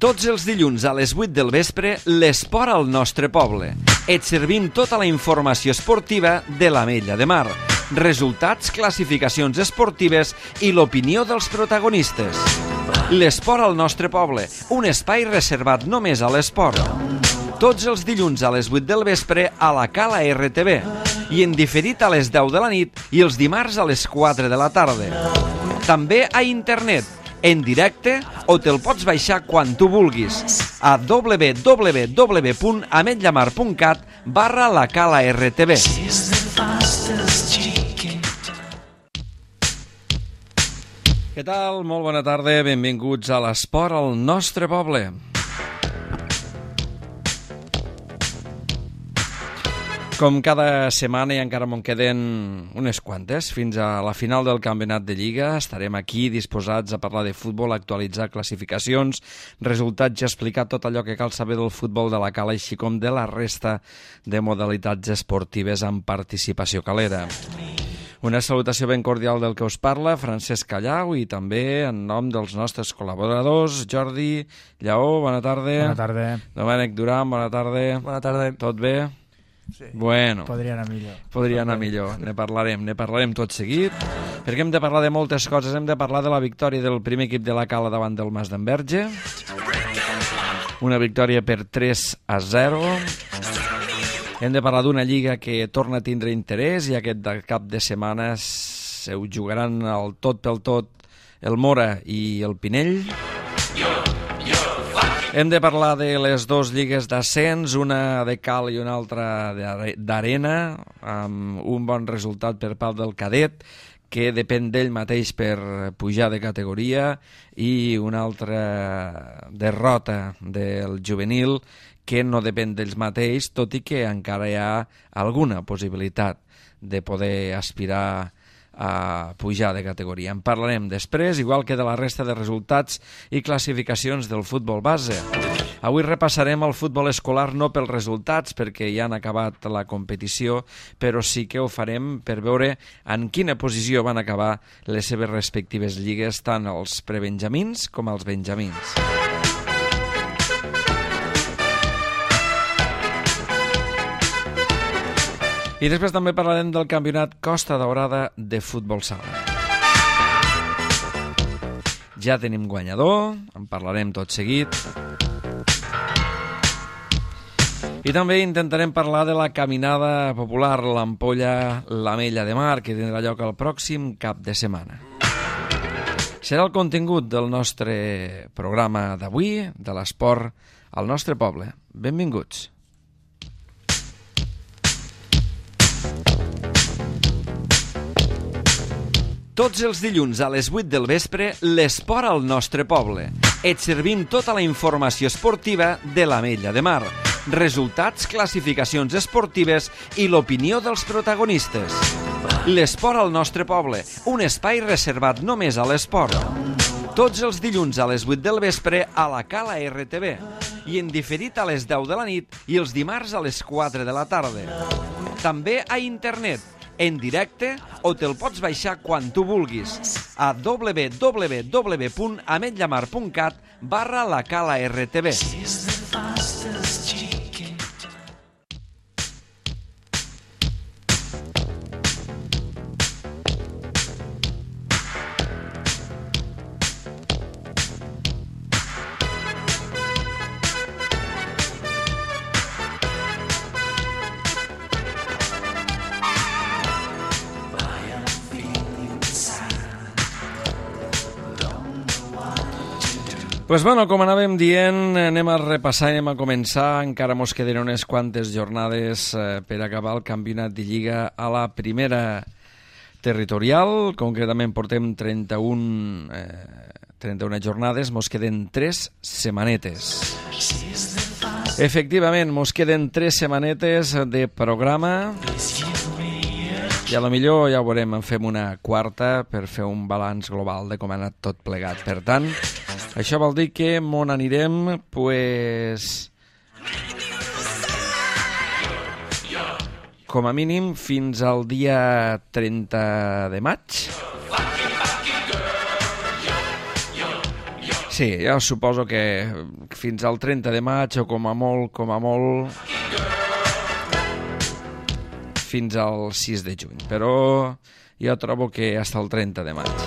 Tots els dilluns a les 8 del vespre, l'esport al nostre poble. Et servim tota la informació esportiva de l'Ametlla de Mar. Resultats, classificacions esportives i l'opinió dels protagonistes. L'esport al nostre poble, un espai reservat només a l'esport. Tots els dilluns a les 8 del vespre a la Cala RTV i en diferit a les 10 de la nit i els dimarts a les 4 de la tarda. També a internet, en directe, o te'l pots baixar quan tu vulguis a www.ametllamar.cat/la Cala RTV. Què tal? Molt bona tarda, benvinguts a l'esport al nostre poble. Com cada setmana, i encara me'n queden unes quantes, fins a la final del campionat de Lliga, estarem aquí disposats a parlar de futbol, actualitzar classificacions, resultats i explicar tot allò que cal saber del futbol de la Cala, així com de la resta de modalitats esportives amb participació calera. Una salutació ben cordial del que us parla, Francesc Callau, i també en nom dels nostres col·laboradors, Jordi Lleó, bona tarda. Bona tarda. Domènec Duran, bona tarda. Bona tarda. Tot bé? Sí. Bueno. Podria anar millor. Podria anar millor. Ne parlarem tot seguit, perquè hem de parlar de moltes coses. Hem de parlar de la victòria del primer equip de la Cala davant del Mas d'Enverge. Una victòria per 3-0. Hem de parlar d'una lliga que torna a tindre interès i aquest cap de setmana se ho jugaran el tot pel tot el Mora i el Pinell. Hem de parlar de les dues lligues d'ascens, una de cal i una altra d'arena, amb un bon resultat per part del cadet, que depèn d'ell mateix per pujar de categoria, i una altra derrota del juvenil, que no depèn d'ells mateix, tot i que encara hi ha alguna possibilitat de poder aspirar a pujar de categoria. En parlarem després, igual que de la resta de resultats i classificacions del futbol base. Avui repassarem el futbol escolar no pels resultats, perquè ja han acabat la competició, però sí que ho farem per veure en quina posició van acabar les seves respectives lligues, tant els prebenjamins com els benjamins. I després també parlarem del campionat Costa Daurada de futbol sala. Ja tenim guanyador, en parlarem tot seguit. I també intentarem parlar de la caminada popular, l'Ampolla, l'Ametlla de Mar, que tindrà lloc el pròxim cap de setmana. Serà el contingut del nostre programa d'avui, de l'esport al nostre poble. Benvinguts. Tots els dilluns a les 8 del vespre, l'esport al nostre poble. Et servim tota la informació esportiva de l'Ametlla de Mar. Resultats, classificacions esportives i l'opinió dels protagonistes. L'esport al nostre poble, un espai reservat només a l'esport. Tots els dilluns a les 8 del vespre a la Cala RTV i en diferit a les 10 de la nit i els dimarts a les 4 de la tarda. També a internet, en directe, o te'l pots baixar quan tu vulguis a www.ametllamar.cat/la Cala RTV. Pues bueno, com anàvem dient, anem a repassar, anem a començar. Encara mos queden unes quantes jornades per acabar el campionat de Lliga a la primera territorial. Concretament portem 31 jornades, mos queden 3 setmanetes. Efectivament, mos queden 3 setmanetes de programa. I a lo millor, ja ho veurem, en fem una quarta per fer un balanç global de com ha anat tot plegat. Per tant, això vol dir que m'on anirem, pues, com a mínim fins al dia 30 de maig. Sí, ja suposo que fins al 30 de maig o com a molt, fins al 6 de juny, però jo trobo que fins al 30 de maig.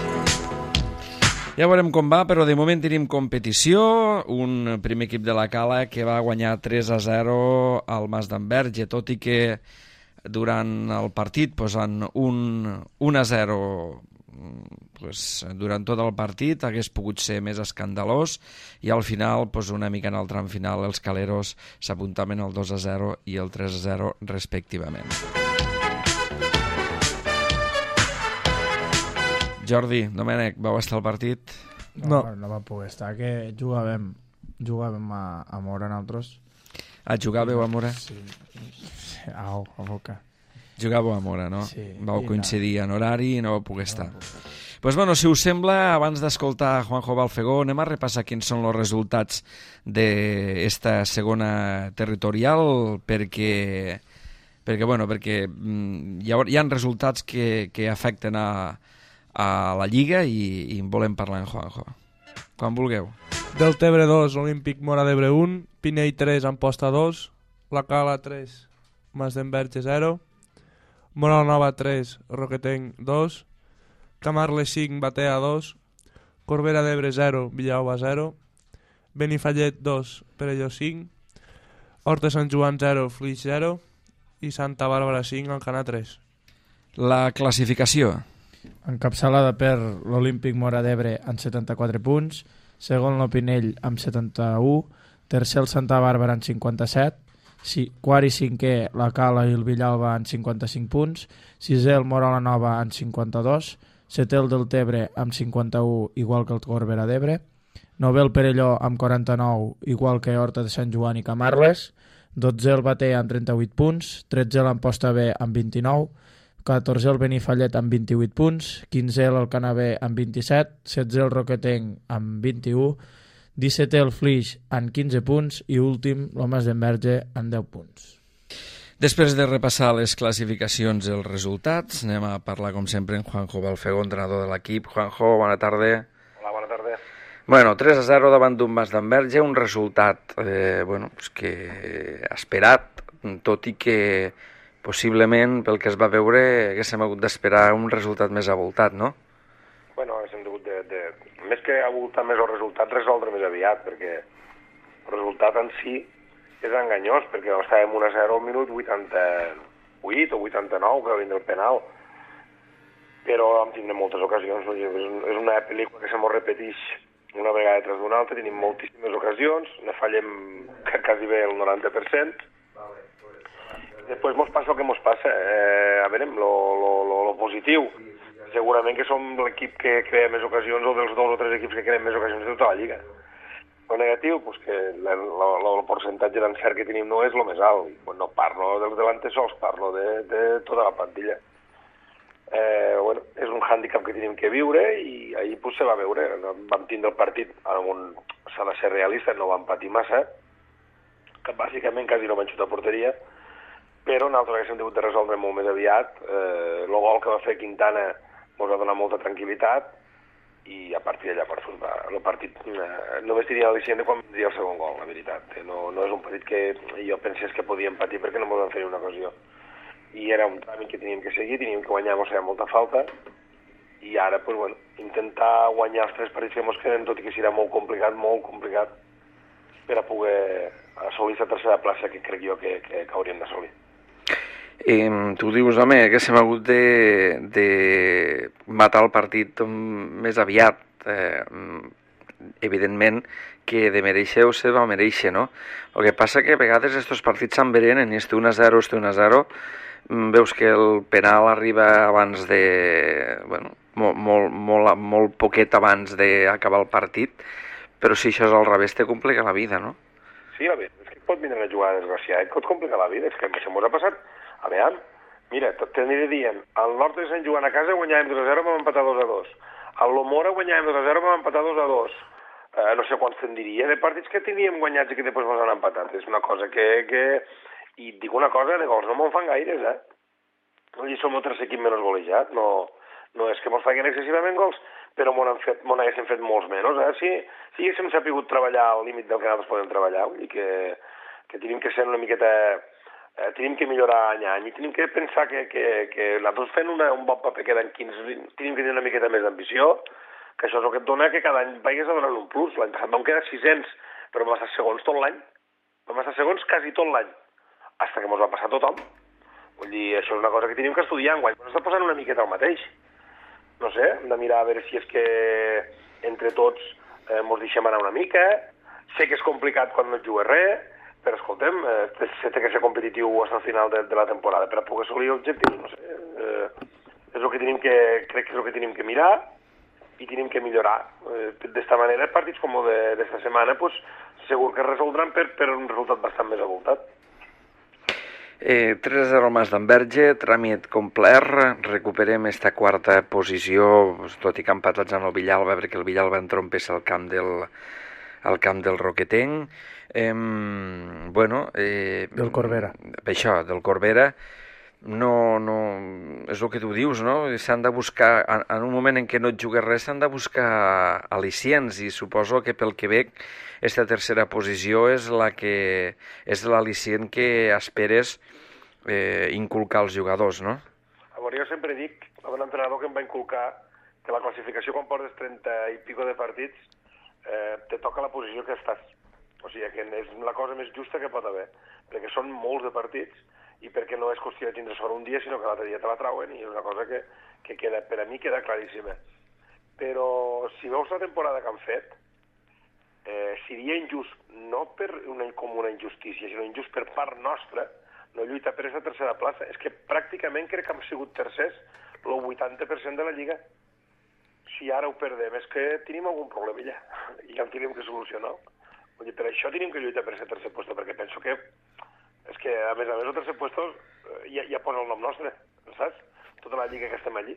Ja veurem com va, però de moment tenim competició, un primer equip de la Cala que va guanyar 3-0 al Mas d'Enverge, tot i que durant el partit posant 1-0 durant tot el partit hagués pogut ser més escandalós i al final, una mica en el tram final, els caleros s'apuntaven el 2-0 i el 3-0 respectivament. Jordi, Domènec, vau estar al partit? No va poder estar, que jugàvem a Mora nosaltres. Jugàveu a Mora? Sí, a boca. Jugàveu a Mora, no? Sí. Vau coincidir en horari i no vau poder estar. Bueno, si us sembla, abans d'escoltar Juanjo Balfegó, anem a repassar quins són els resultats d'esta segona territorial, perquè hi ha resultats que afecten a la Lliga i en volem parlar en Juanjo. Quan vulgueu. Deltebre 2, Olímpic Mora d'Ebre 1, Pinell 3, Amposta 2, La Cala 3, Mas d'Enverge 0, Mora la Nova 3, Roquetenc 2, Camarles 5, Batea 2, Corbera d'Ebre 0, Villaova 0, Benifallet 2, Perelló 5, Horta Sant Joan 0, Flix 0 i Santa Bàrbara 5, Alcanar 3. La classificació. Encapçalada per l'Olímpic Mora d'Ebre amb 74 punts, segon l'Opinell amb 71, tercer el Santa Bàrbara amb 57, quart i cinquè la Cala i el Villalba amb 55 punts, sisè el Mora la Nova amb 52, setè el Deltebre amb 51, igual que el Corbera d'Ebre, novè el Perelló amb 49, igual que Horta de Sant Joan i Camarles, 12è el Batea amb 38 punts, 13è l'Amposta B amb 29, 14è el Benifallet amb 28 punts, 15è l'Alcanar B amb 27, 16è el Roquetenc amb 21, 17è el Flix amb 15 punts i últim el Mas d'Enverge amb 10 punts. Després de repassar les classificacions i els resultats, anem a parlar com sempre amb Juanjo Balfegó, entrenador de l'equip. Juanjo, bona tarda. Hola, bona tarda. 3-0 davant d'un Mas d'Enverge, un resultat que esperat, tot i que possiblement, pel que es va veure, haguéssim hagut d'esperar un resultat més avoltat, no? Bueno, haguéssim hagut més que avoltar més el resultat, resoldre més aviat, perquè el resultat en si és enganyós, perquè estàvem 1-0 al minut 88 o 89, que va vindre el penal. Però vam tindre moltes ocasions, no? És una pel·lícula que se mos repeteix una vegada tras d'una altra, tenim moltíssimes ocasions, ne fallem quasi bé el 90%, després mos passa el que mos passa. A veure, lo positiu, segurament que som l'equip que crea més ocasions o dels 2 o 3 equips que creen més ocasions de tota la Lliga. Lo negatiu, que el percentatge d'encert que tenim no és el més alt. No parlo dels delantesols, parlo de tota la plantilla. És un hàndicap que tenim que viure i ahir se va veure. Vam tindre el partit, s'ha de ser realista, no vam patir massa, que bàsicament quasi no van xutar a porteria, però nosaltres haguéssim hagut de resoldre molt més aviat. El gol que va fer Quintana ens va donar molta tranquil·litat i a partir d'allà el partit només tenia l'al·licient de quan vindria el segon gol, la veritat. No és un partit que jo pensés que podíem patir perquè no ens vam fer una ocasió. I era un tràmit que teníem que seguir, teníem que guanyar, mos feia molta falta, i ara intentar guanyar els 3 partits que ens queden, tot i que serà molt complicat per a poder assolir la tercera plaça que crec jo que hauríem d'assolir. Tu dius, home, que s'hem hagut de matar el partit més aviat. Evidentment que de mereixer se va mereixer, no? El que passa que a vegades aquests partits s'enverenen i 1-0, veus que el penal arriba abans de... molt poquet abans d'acabar el partit, però si això és al revés te complica la vida, no? Sí, a veure, és que pot vindre una jugada desgraciada, et pot complicar la vida, és que això mos ha passat. A veure, mira, t'aniré dient, al nord de Sant Joan a casa guanyàvem 2-0, vam empatar 2-2. Al Lomora guanyàvem 2-0, vam empatar 2-2. No sé quants te'n diria, de partits que teníem guanyats i que després ens han empatat. És una cosa que... I et dic una cosa, de gols no me'n fan gaires, I som el tercer equip menys golejat. No és que mos facin excessivament gols, però m'on haguéssim fet molts menys. Si haguéssim sapigut treballar al límit del que nosaltres podem treballar, vull dir que tenim que ser una miqueta... tenim que millorar any a any i tenim que pensar que nosaltres fent un bon paper quedant 15, tenim que tenir una miqueta més d'ambició, que això és el que et dona que cada any vagis a donar un plus. L'any passat vam quedar 600, però vam estar segons tot l'any. Vam estar segons quasi tot l'any, fins que mos va passar tothom. Vull dir, això és una cosa que tenim que estudiar enguany, però està posant una miqueta el mateix. No sé, hem de mirar a veure si és que entre tots mos deixem anar una mica. Sé que és complicat quan no et jugues res, però escoltem, se té que ser competitiu fins al final de la temporada per a poder assolir objectius, no sé. És el que tenim crec que és el que tenim que mirar i tenim que millorar. D'esta manera, partits com el d'esta setmana, pues, segur que es resoldran per un resultat bastant més avoltat. 3-0 Mas d'Enverge, tràmit complert, recuperem esta quarta posició, tot i que empatats amb el Villalba, perquè el Villalba entrompessa al camp del Roquetenc. Del Corbera. Això, del Corbera. No, és el que tu dius, no? S'han de buscar, en un moment en què no et jugues res, s'han de buscar al·licients, i suposo que pel Quebec aquesta tercera posició és l'al·licient que esperes inculcar als jugadors, no? A veure, jo sempre dic, un entrenador que em va inculcar que la classificació quan portes 30 i pico de partits te toca la posició que estàs. O sigui, que és la cosa més justa que pot haver, perquè són molts de partits i perquè no és qüestió de tindre sort un dia, sinó que l'altre dia te la trauen, i és una cosa que queda, per a mi queda claríssima. Però si veus la temporada que han fet, seria injust, no com una injustícia, sinó injust per part nostra, no lluitar per aquesta tercera plaça. És que pràcticament crec que hem sigut tercers el 80% de la Lliga. Si ara ho perdem és que tenim algun problema ja, i ja el tenim que solucionar. Vull dir, per això tenim que lluitar per aquest tercer lloc, perquè penso que és que, a més, el tercer lloc ja posa el nom nostre, saps? Tota la lliga que estem allí.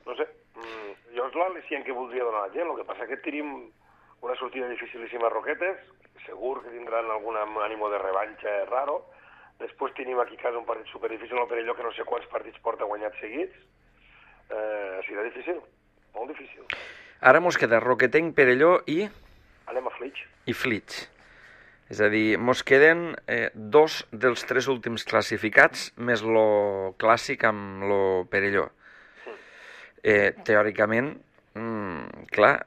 No sé, jo és l'al·licient que voldria donar a la gent, el que passa que tenim una sortida dificilíssima a Roquetes, segur que tindran algun ànimo de revanxa raro, després tenim aquí a casa un partit superdifícil al Perelló, que no sé quants partits porta guanyats seguits, serà difícil, molt difícil. Ara mos queda Roquetenc, Perelló i... Anem a Flix. I Flix. És a dir, mos queden 2 dels 3 últims classificats, més lo clàssic amb lo Perelló. Teòricament, clar,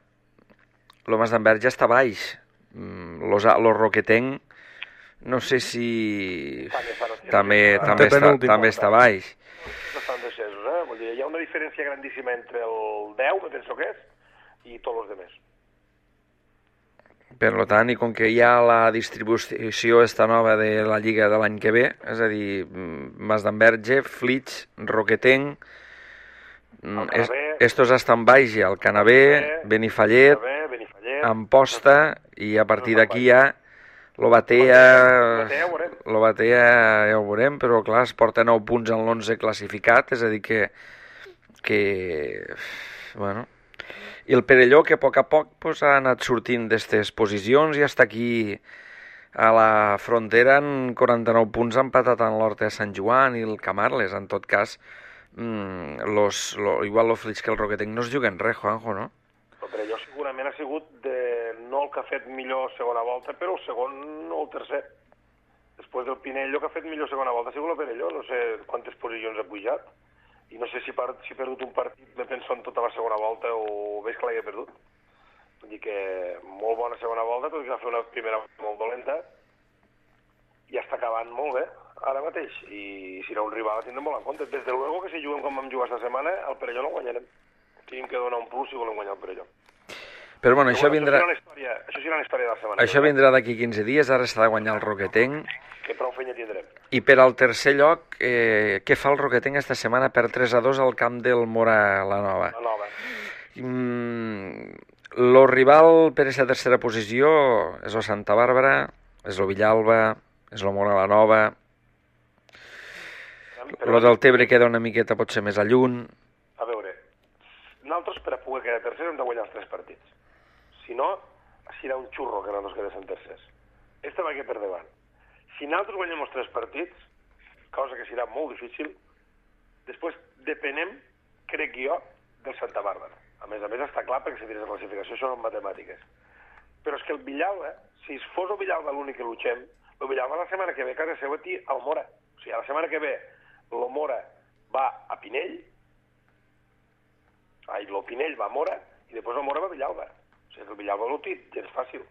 lo Mas d'Enverge està baix. Lo Roquetenc, no sé si... també està baix. Estan descesos, Vull dir, hi ha una diferència grandíssima entre el 10, que penso que és, i tots els demés. Per tant, i com que hi ha la distribució esta nova de la Lliga de l'any que ve, és a dir, Mas d'Enverge, Flix, Roquetenc, estos estan baix ja, el Canabé, Benifallet, Amposta, i a partir d'aquí ja l'Obatea ja ho veurem, però clar, es porta 9 punts en l'11 classificat, és a dir que bueno... I el Perelló, que a poc pues, ha anat sortint d'aquestes posicions i està aquí a la frontera en 49 punts, empatat en l'Horta de Sant Joan i el Camarles. En tot cas, igual el Flix que el Roquetenc no es juguen res, Juanjo, no? El Perelló segurament ha sigut no el que ha fet millor segona volta, però el segon o el tercer. Després del Pinello, que ha fet millor segona volta, ha sigut el Perelló. No sé quantes posicions ha pujat. I no sé si ha perdut un partit, me penso en tota la segona volta, o veig que l'hagi perdut. Vull dir que molt bona segona volta, tot i que va fer una primera molt dolenta, i està acabant molt bé, ara mateix. I si no un rival, tindrem molt en compte. Des de luego que si juguem com vam jugar esta setmana, el Perelló no guanyarem. Tenim que donar un plus si volem guanyar el Perelló. Però bueno, això vindrà... Això serà la història de la setmana. Això vindrà d'aquí 15 dies, ara s'ha de guanyar el Roquetenc. Que prou feina tindrem. I per al tercer lloc, què fa el Roquetenc esta setmana per 3-2 al camp del Mora la Nova? La Nova. Lo rival per aquesta tercera posició és el Santa Bàrbara, és el Villalba, és el Mora la Nova. Lo del Tebre queda una miqueta potser més a lluny. A veure, nosaltres per a poder quedar tercers hem de guanyar els 3 partits. Si no, serà un xurro que nosaltres quedéssim tercers. Este va que per davant. Si nosaltres guanyem els 3 partits, cosa que serà molt difícil, després depenem, crec jo, del Santa Bàrbara. A més, està clar perquè si tires la classificació això són matemàtiques. Però és que el Villalba, si fos el Villalba l'únic que luchem, el Villalba la setmana que ve a casa seu aquí al Mora. O sigui, la setmana que ve el Mora va a Pinell, el Pinell va a Mora i després el Mora va a Villalba. O sigui que el Villalba l'ho té gens fàcil.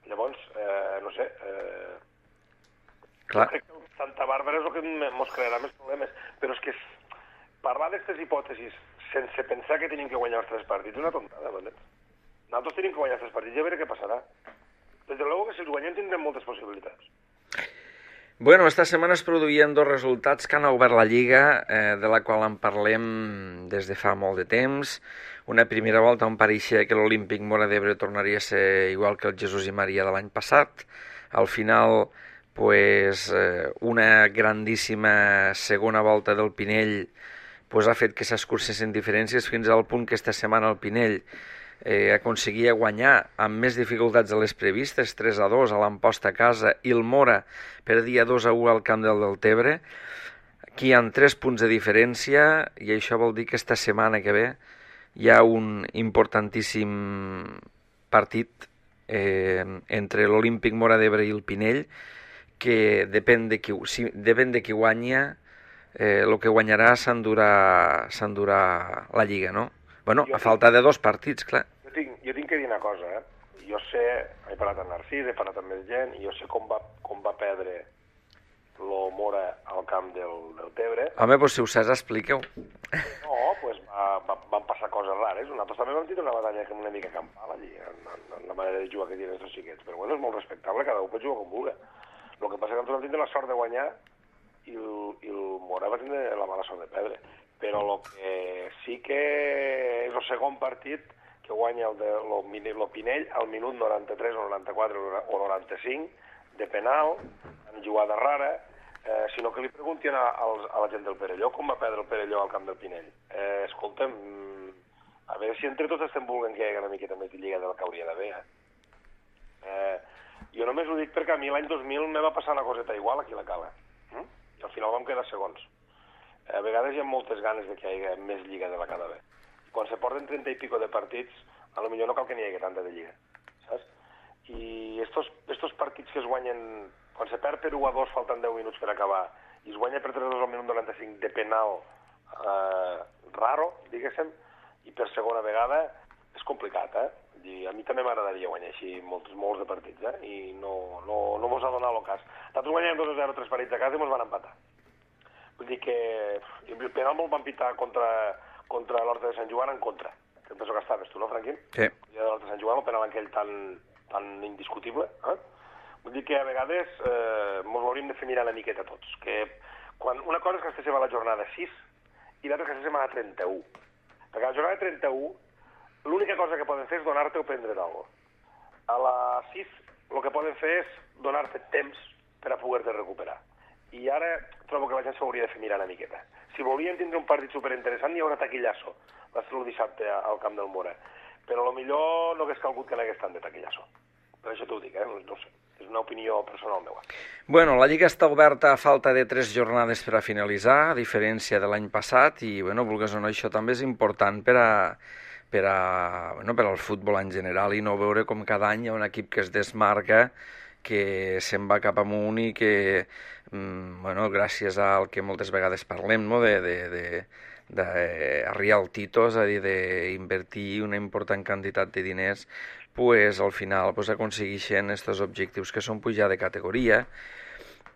Llavors, no sé... Clar. Crec que Santa Bàrbara és el que ens crearà més problemes. Però és que parlar d'aquestes hipòtesis sense pensar que tenim que guanyar els 3 partits és una tontada, ¿vale? Nosaltres tenim que guanyar els 3 partits i a veure què passarà. Des de luego que si els guanyem tindrem moltes possibilitats. Bueno, esta setmana es produïen 2 resultats que han obert la Lliga, de la qual en parlem des de fa molt de temps. Una primera volta on pareixia que l'Olímpic Móra d'Ebre tornaria a ser igual que el Jesús i Maria de l'any passat. Al final, pues, una grandíssima segona volta del Pinell pues, ha fet que s'escurcessin diferències fins al punt que esta setmana el Pinell aconseguia guanyar amb més dificultats de les previstes, 3-2 a l'Amposta a casa, i el Mora perdia 2-1 al camp del Deltebre. Aquí hi ha 3 punts de diferència i això vol dir que esta setmana que ve hi ha un importantíssim partit entre l'Olímpic Móra d'Ebre i el Pinell que depèn de qui guanya, el que guanyarà s'endurà la Lliga, no? Bueno, a falta de 2 partits, clar. Jo tinc que dir una cosa, Jo sé, he parlat amb Narcís, he parlat amb més gent, i jo sé com va perdre el Mora al camp del Tebre. Home, doncs si ho saps, expliqueu. No, doncs van passar coses rares. Nosaltres també vam tenir una batalla una mica campal allí, en la manera de jugar que tenen els xiquets. Però bueno, és molt respectable, cada un pot jugar com vulgui. El que passa és que nosaltres vam tindre la sort de guanyar i el Mora va tindre la mala sort de perdre. Però el que sí que és el segon partit que guanya el Pinell al minut 93 o 94 o 95 de penal, en jugada rara, sinó que li preguntin a la gent del Perelló com va perdre el Perelló al camp del Pinell. Escolta'm, a veure si entre tots estem volent que hi hagi una miqueta més de lliga del que hauria d'haver. Jo només ho dic perquè a mi l'any 2000 me va passar una coseta igual aquí a la Cala. I al final vam quedar segons. A vegades hi ha moltes ganes de que hi hagi més lliga de la cada vegada. Quan se porten 30 i pico de partits, a lo millor no cal que n'hi hagi tanta de lliga, saps? I estos partits que es guanyen, quan se perd per 1-2 falten 10 minuts per acabar, i es guanya per 3-2 al minut 95 de penal raro, diguéssim, i per segona vegada és complicat, I a mi també m'agradaria guanyar així molts de partits, i no mos ha donat el cas. Nosaltres guanyem 2-0 3 partits a casa i mos van empatar. Vull dir que el penal me'l van pitar contra l'Horta de Sant Joan en contra. Que penso que estaves tu, no, Franquín? Sí. I l'Horta de Sant Joan, el penal aquell tan indiscutible. Vull dir que a vegades mos ho hauríem de fer mirar una miqueta tots. Que una cosa és que estéssim a la jornada 6 i l'altra que estéssim a la 31. Perquè a la jornada 31 l'única cosa que poden fer és donar-te o prendre d'algo. A la 6 el que poden fer és donar-te temps per a poder-te recuperar. I ara trobo que la gent s'hauria de fer mirar una miqueta. Si volien tindre un partit superinteressant, hi haurà taquillasso. Va ser el dissabte al camp del Mora. Però potser no hagués calgut que n'hagués tant de taquillasso. Per això t'ho dic, no sé. És una opinió personal meva. Bueno, la Lliga està oberta a falta de 3 jornades per a finalitzar, a diferència de l'any passat, i, bueno, vulguis o no, això també és important per al futbol en general i no veure com cada any hi ha un equip que es desmarca, que se'n va cap amunt i que, gràcies al que moltes vegades parlem, no? D'arriar al tito, és a dir, d'invertir una important quantitat de diners, pues, al final aconsegueixen aquests objectius que són pujar de categoria.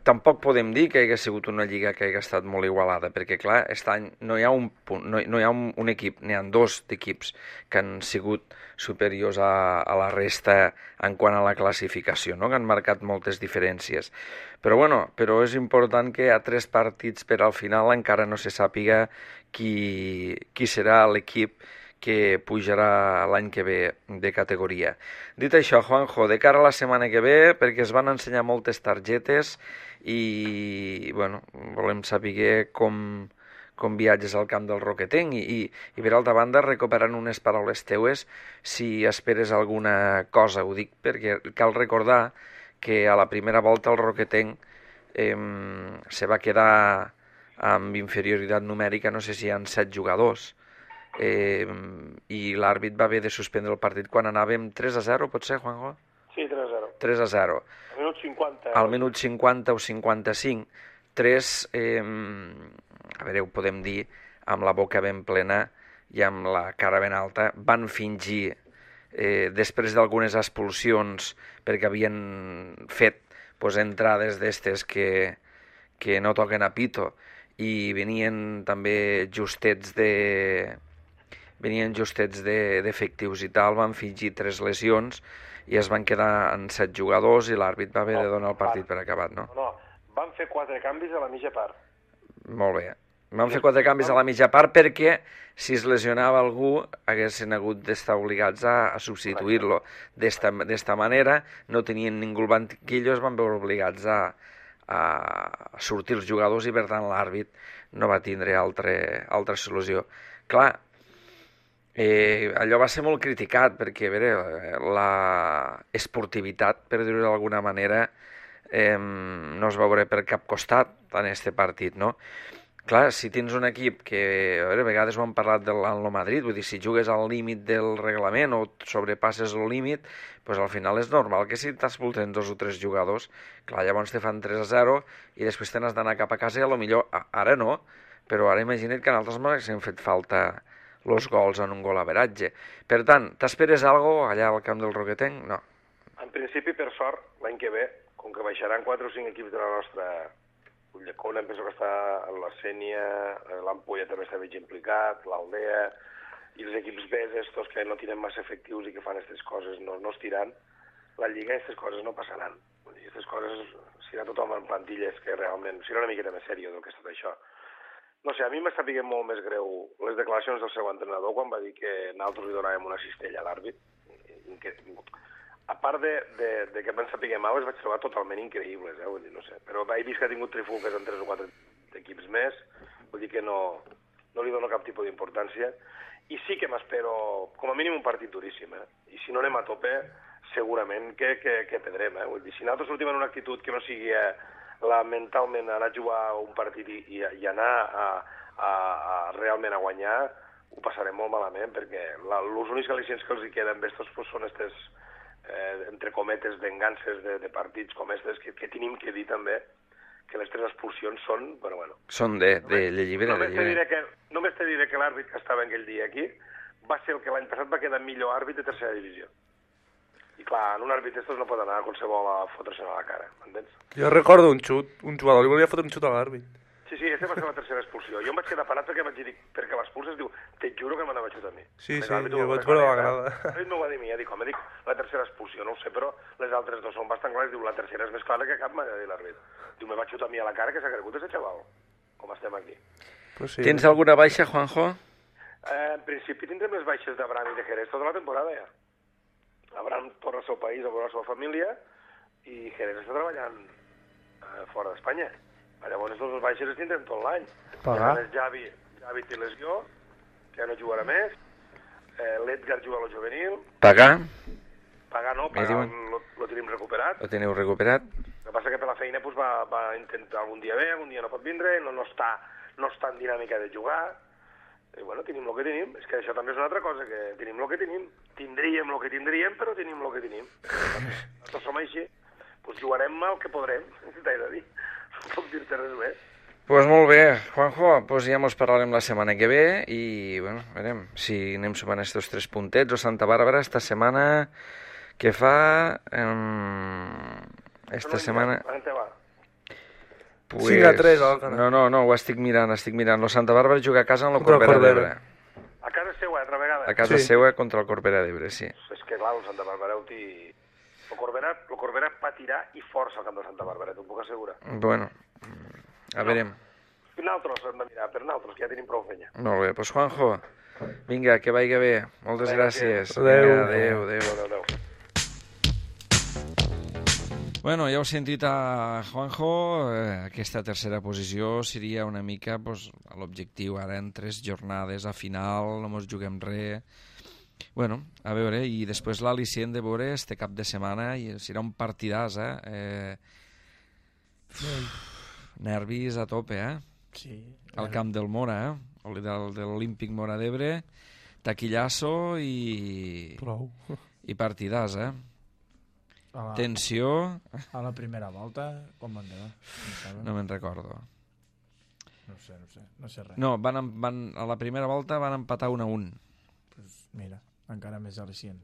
Tampoc podem dir que hagi sigut una lliga que hagi estat molt igualada, perquè, clar, aquest any no hi ha un equip, n'hi ha 2 equips que han sigut superiors a la resta en quant a la classificació, no? Que han marcat moltes diferències. Però és important que a 3 partits per al final encara no se sàpiga qui serà l'equip que pujarà l'any que ve de categoria. Dit això, Juanjo, de cara a la setmana que ve, perquè es van ensenyar moltes targetes i volem saber com viatges al camp del Roquetenc i per altra banda, recuperant unes paraules teues, si esperes alguna cosa, ho dic perquè cal recordar que a la primera volta el Roquetenc se va quedar amb inferioritat numèrica, no sé si hi ha 7 jugadors, i l'àrbit va haver de suspendre el partit quan anàvem 3-0, pot ser, Juanjo? Sí, 3-0. 3-0. Al minut 50. Al minut 50 o 55, 3, a veure, ho podem dir, amb la boca ben plena i amb la cara ben alta, van fingir, després d'algunes expulsions, perquè havien fet entrades d'estes que no toquen a pito, i venien també justets d'efectius i tal, van fingir 3 lesions i es van quedar en 7 jugadors i l'àrbit va haver de donar el partit per acabat, no? No, van fer 4 canvis a la mitja part. Molt bé. Van fer 4 canvis a la mitja part perquè si es lesionava algú haguessin hagut d'estar obligats a substituir-lo. D'esta manera no tenien ningú al banquillo, es van veure obligats a sortir els jugadors i per tant l'àrbit no va tindre altra solució. Clar, allò va ser molt criticat perquè, a veure, la esportivitat, per dir-ho d'alguna manera, no es veurà per cap costat en aquest partit, no? Clar, si tens un equip que, a veure, a vegades ho hem parlat en el Madrid, vull dir, si jugues al límit del reglament o sobrepasses el límit, doncs al final és normal que si t'expulsen 2 o 3 jugadors, clar, llavors te fan 3-0 i després te n'has d'anar cap a casa i potser ara no, però ara imagina't que en altres moments hem fet falta els gols en un gol averatge. Per tant, t'esperes alguna cosa allà al camp del Roquetenc? No. En principi, per sort, l'any que ve, com que baixaran 4 o 5 equips de la nostra Ulldecona, em penso que està la Sénia, l'Ampolla també està veig implicat, l'Aldea, i els equips B, estos que no tenen massa efectius i que fan aquestes coses no es tiran, la Lliga aquestes coses no passaran. Aquestes coses, si era tothom en plantilles que realment, si era una miqueta més sèrio del que és tot això. No sé, a mi m'està picant molt més greu les declaracions del seu entrenador quan va dir que nosaltres li donàvem una cistella a l'àrbit. A part de que em sapigué mal, les vaig trobar totalment increïbles, vull dir, no sé. Però he vist que ha tingut trifulques en 3 o 4 equips més, vull dir que no li dono cap tipus d'importància. I sí que m'espero, com a mínim, un partit duríssim, I si no anem a tope, segurament que perdrem, Vull dir, si nosaltres sortim en una actitud que no sigui mentalment anar a jugar un partit i anar a realment a guanyar, ho passarem molt malament, perquè els únics al·licients que els hi queden d'estos són aquestes entre cometes, vengances de partits com aquestes, que tenim que dir també que les 3 expulsions són, però bueno... Són de llibre. Només te diré que l'àrbit que estava aquell dia aquí va ser el que l'any passat va quedar millor àrbit de tercera divisió. I clar, en un àrbit d'estos no pot anar a qualsevol a fotre-se'n a la cara, m'entens? Jo recordo un jugador li volia fotre un xut a l'àrbit. Sí, aquesta va ser la tercera expulsió. Jo em vaig quedar parat perquè vaig dir, perquè l'expulses, diu, te juro que m'anava a xutar a mi. Sí, jo vaig veure la grada. L'àrbit m'ho va dir a mi, dic, la tercera expulsió, no ho sé, però les altres 2 són bastant clares, diu, la tercera és més clara que cap, m'ha de dir l'àrbit. Diu, me va xutar a mi a la cara, que s'ha cregut ese xaval, com estem aquí. Pues sí. Tens alguna baixa, Juanjo? En principi tindrem les baixes d'Abraham i de Jerez tota la temporada, ja. Abraham torna al seu país a veure la seva família i Jerez està treballant fora d'Espanya. Llavors els baixes els tindrem tot l'any. Javi té lesió, que ja no jugarà més. L'Edgar juga a lo juvenil. Pagar no, lo tenim recuperat. Lo teniu recuperat. El que passa que per la feina va intentar algun dia bé, algun dia no pot vindre, no està en dinàmica de jugar. I bueno, tenim el que tenim. És que això també és una altra cosa, que tenim el que tenim. Tindríem el que tindríem, però tenim el que tenim. Nosaltres som així. Pues jugarem el que podrem, t'he de dir. No puc dir-te res més. Pues molt bé, Juanjo, pues ja mos parlarem la setmana que ve i, bueno, veurem si anem sumant estos 3 puntets o Santa Bàrbara esta setmana que fa... esta setmana... On te va? Pues... 5-3, Alcana. No, ho estic mirant. Lo Santa Bàrbara juga a casa amb la Corbera d'Ebre. A casa seua, altra vegada? A casa seua contra el Corbera d'Ebre, sí. És que clar, el Santa Bàrbara el Corbera patirà i força al camp de Santa Bàrbara, t'ho puc assegurar. Bueno, a veurem. Nosaltres hem de mirar, per nosaltres, que ja tenim prou feina. Molt bé, doncs Juanjo, vinga, que vagi bé. Moltes gràcies. Adéu. Bueno, ja heu sentit a Juanjo, aquesta tercera posició seria una mica l'objectiu ara en 3 jornades a final, no mos juguem res. Bueno, a veure, i després l'al·licient de veure este cap de setmana i serà un partidàs, nervis a tope, Sí. al camp del Mora, de l'Olímpic Móra d'Ebre, taquillasso Prou. i partidàs, Tensió, A la primera volta, com van quedar? no me'n recordo. No sé res. No, a la primera volta van empatar 1-1. Pues mira, encara més al·licient.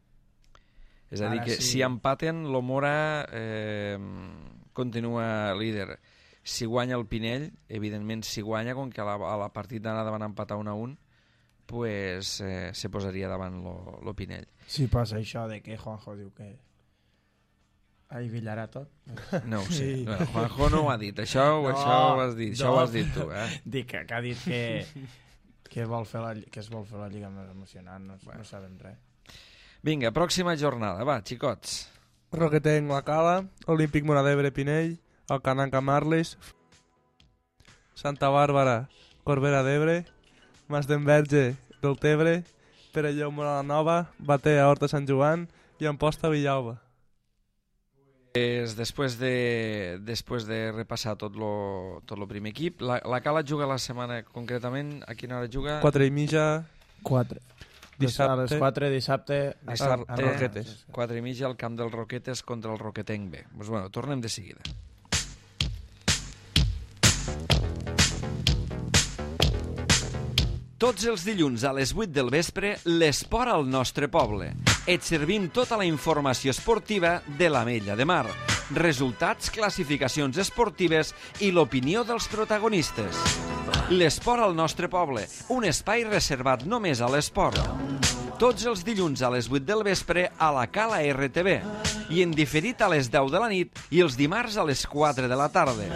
És a dir, Ara que sí. si empaten, l'Omora continua líder. Si guanya el Pinell, evidentment si guanya, com que a la partida d'anada van empatar 1-1, pues se posaria davant lo Pinell. Si passa això de que Juanjo diu que ahí billarà tot. No ho sé. Sí. Bueno, Juanjo no ho ha dit. Això ho has dit. Això ho has dit tu, Dic que ha dit que es vol fer la lliga més emocionant, no sabem res. Vinga, pròxima jornada. Va, xicots. Roquetenc, la Cala, Olímpic Móra d'Ebre, Pinell, Alcananca, Marles, Santa Bàrbara, Corbera d'Ebre, Mas d'Enverge, Deltebre, Perelló, Móra la Nova, Batea, Horta, Sant Joan i Amposta, Villalba. Després de repassar tot lo primer equip, la Cala juga la setmana, concretament, a quina hora juga? 4:30, 4. Dissabte. A les 4 dissabte Dissabte, a Roquetes. 4:30 al camp del Roquetes contra el Roquetenc B. Pues bueno, tornem de seguida. Tots els dilluns a les 8 del vespre, l'esport al nostre poble. Et servim tota la informació esportiva de l'Ametlla de Mar, resultats, classificacions esportives i l'opinió dels protagonistes. L'esport al nostre poble, un espai reservat només a l'esport. Tots els dilluns a les 8 del vespre a la Cala RTV i en diferit a les 10 de la nit i els dimarts a les 4 de la tarda.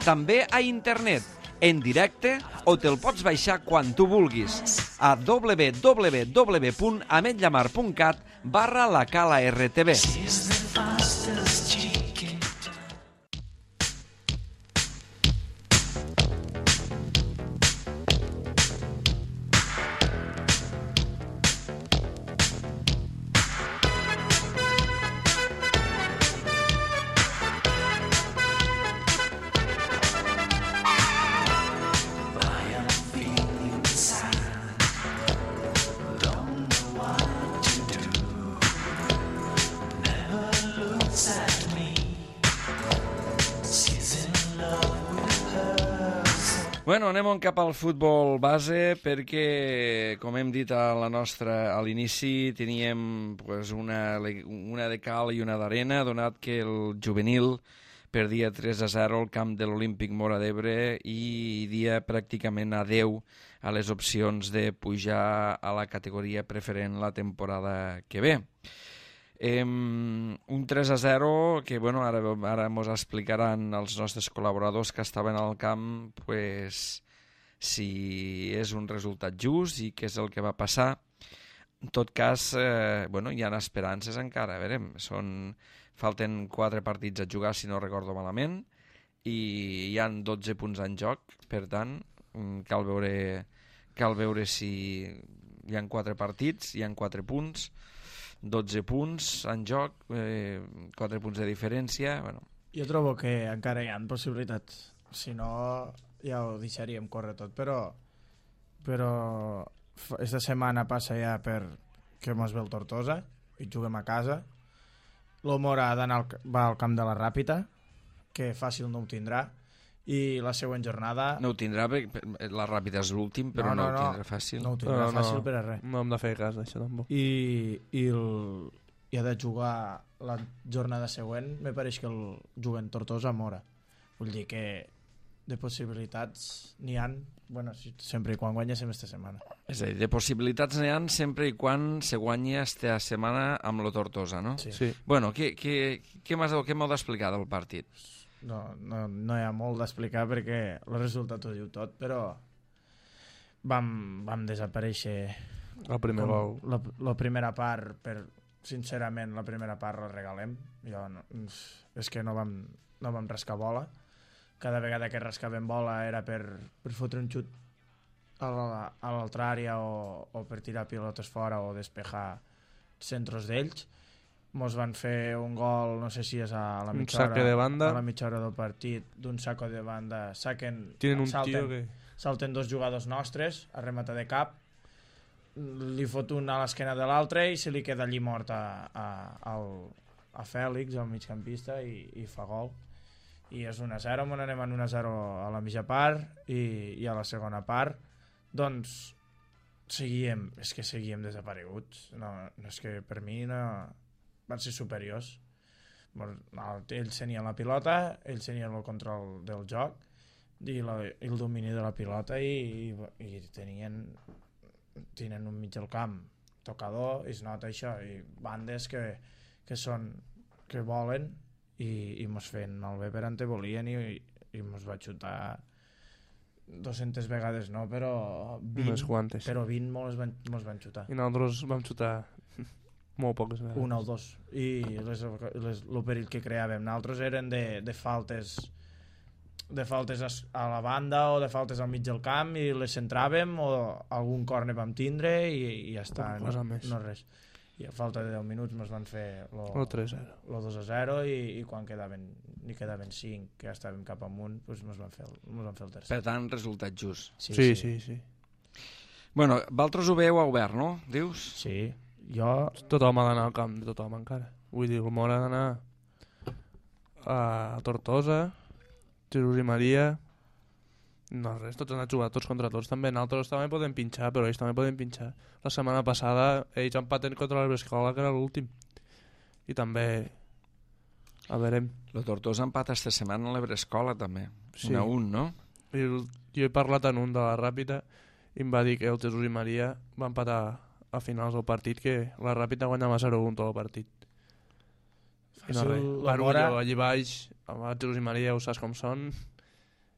També a internet, en directe, o te'l pots baixar quan tu vulguis a www.ametllamar.cat/la Cala RTV. Bueno, anem cap al futbol base perquè, com hem dit a l'inici, teníem pues, una de cal i una d'arena, donat que el juvenil perdia 3-0 al camp de l'Olímpic Móra d'Ebre i dia pràcticament adeu a les opcions de pujar a la categoria preferent la temporada que ve. Un 3-0 que bueno, ara ens explicaran els nostres col·laboradors que estaven al camp pues, si és un resultat just i què és el que va passar. En tot cas, bueno, hi ha esperances encara, veurem. Falten 4 partits a jugar, si no recordo malament, i hi han 12 punts en joc, per tant, cal veure si hi han 4 partits, hi han 4 punts, 12 punts en joc, 4 punts de diferència. Bueno. Jo trobo que encara hi ha possibilitats, si no ja ho deixaríem córrer tot, però esta setmana passa ja per que mos ve el Tortosa i juguem a casa. L'Omora va al camp de la Ràpita, que fàcil no ho tindrà, i la següent jornada... No ho tindrà, la Ràpida és l'últim, però no ho tindrà fàcil. No ho tindrà fàcil per a res. No hem de fer cas d'això tampoc. I ha de jugar la jornada següent, me pareix que el juguen Tortosa a Mora. Vull dir que de possibilitats n'hi han, bueno, sempre i quan guanyéssim esta setmana. És a dir, de possibilitats n'hi han sempre i quan se guanyi esta setmana amb lo Tortosa, no? Sí. Bueno, què m'heu d'explicar del partit? No hi ha molt d'explicar perquè el resultat ho diu tot, però vam desaparèixer el primer gol. La primera part, sincerament, la primera part la regalem. És que no vam rascar bola. Cada vegada que rascàvem bola era per fotre un xut a l'altra àrea o per tirar pilotes fora o despejar centros d'ells. Mos van fer un gol, no sé si és a la mitja hora, de banda. a la mitja hora del partit, d'un saco de banda. Tienen un tío que... salten 2 jugadors nostres a remata de cap, li fot un a l'esquena de l'altre i se li queda allí mort a Fèlix, el migcampista, i fa gol. I és 1-0, on anem en 1-0 a la mitja part i a la segona part doncs seguíem desapareguts. No, és que per mi no van ser superiors. Ells tenien la pilota, ells tenien el control del joc i el domini de la pilota i tenien un mig del camp tocador, i es nota això, i bandes que volen i mos feien malbé per on te volien i mos va xutar 200 vegades no, però 20, però 20 mos van xutar. I nosaltres vam xutar molt poques vegades. Una o dos. I el perill que creàvem nosaltres eren de faltes a la banda o de faltes al mig del camp i les centràvem o algun córner vam tindre i ja està, no res. I a falta de 10 minuts ens van fer el 3-0, el 2-0 i quan quedaven 5 que ja estàvem cap amunt doncs ens van fer el tercer. Per tant, resultat just. Sí. Bueno, vosaltres ho veieu obert, no? Dius? Sí, jo... Tothom ha d'anar al camp de tothom encara. Vull dir, el Mor ha d'anar a Tortosa, Jesús i Maria... No, res, tots han anat a jugar tots contra tots. També nosaltres també podem pinxar, però ells també poden pinxar. La setmana passada ells empaten contra l'Ebrescola, que era l'últim. I també... A veurem. El Tortosa empata esta setmana a l'Ebrescola també. Sí. 1-1, no? Jo he parlat en un de la Ràpita i em va dir que el Jesús i Maria va empatar a finals del partit, que la Ràpita guanyava 0-1 tot el partit. I no res. Barullo allí baix, el Jesús i Maria ho saps com són,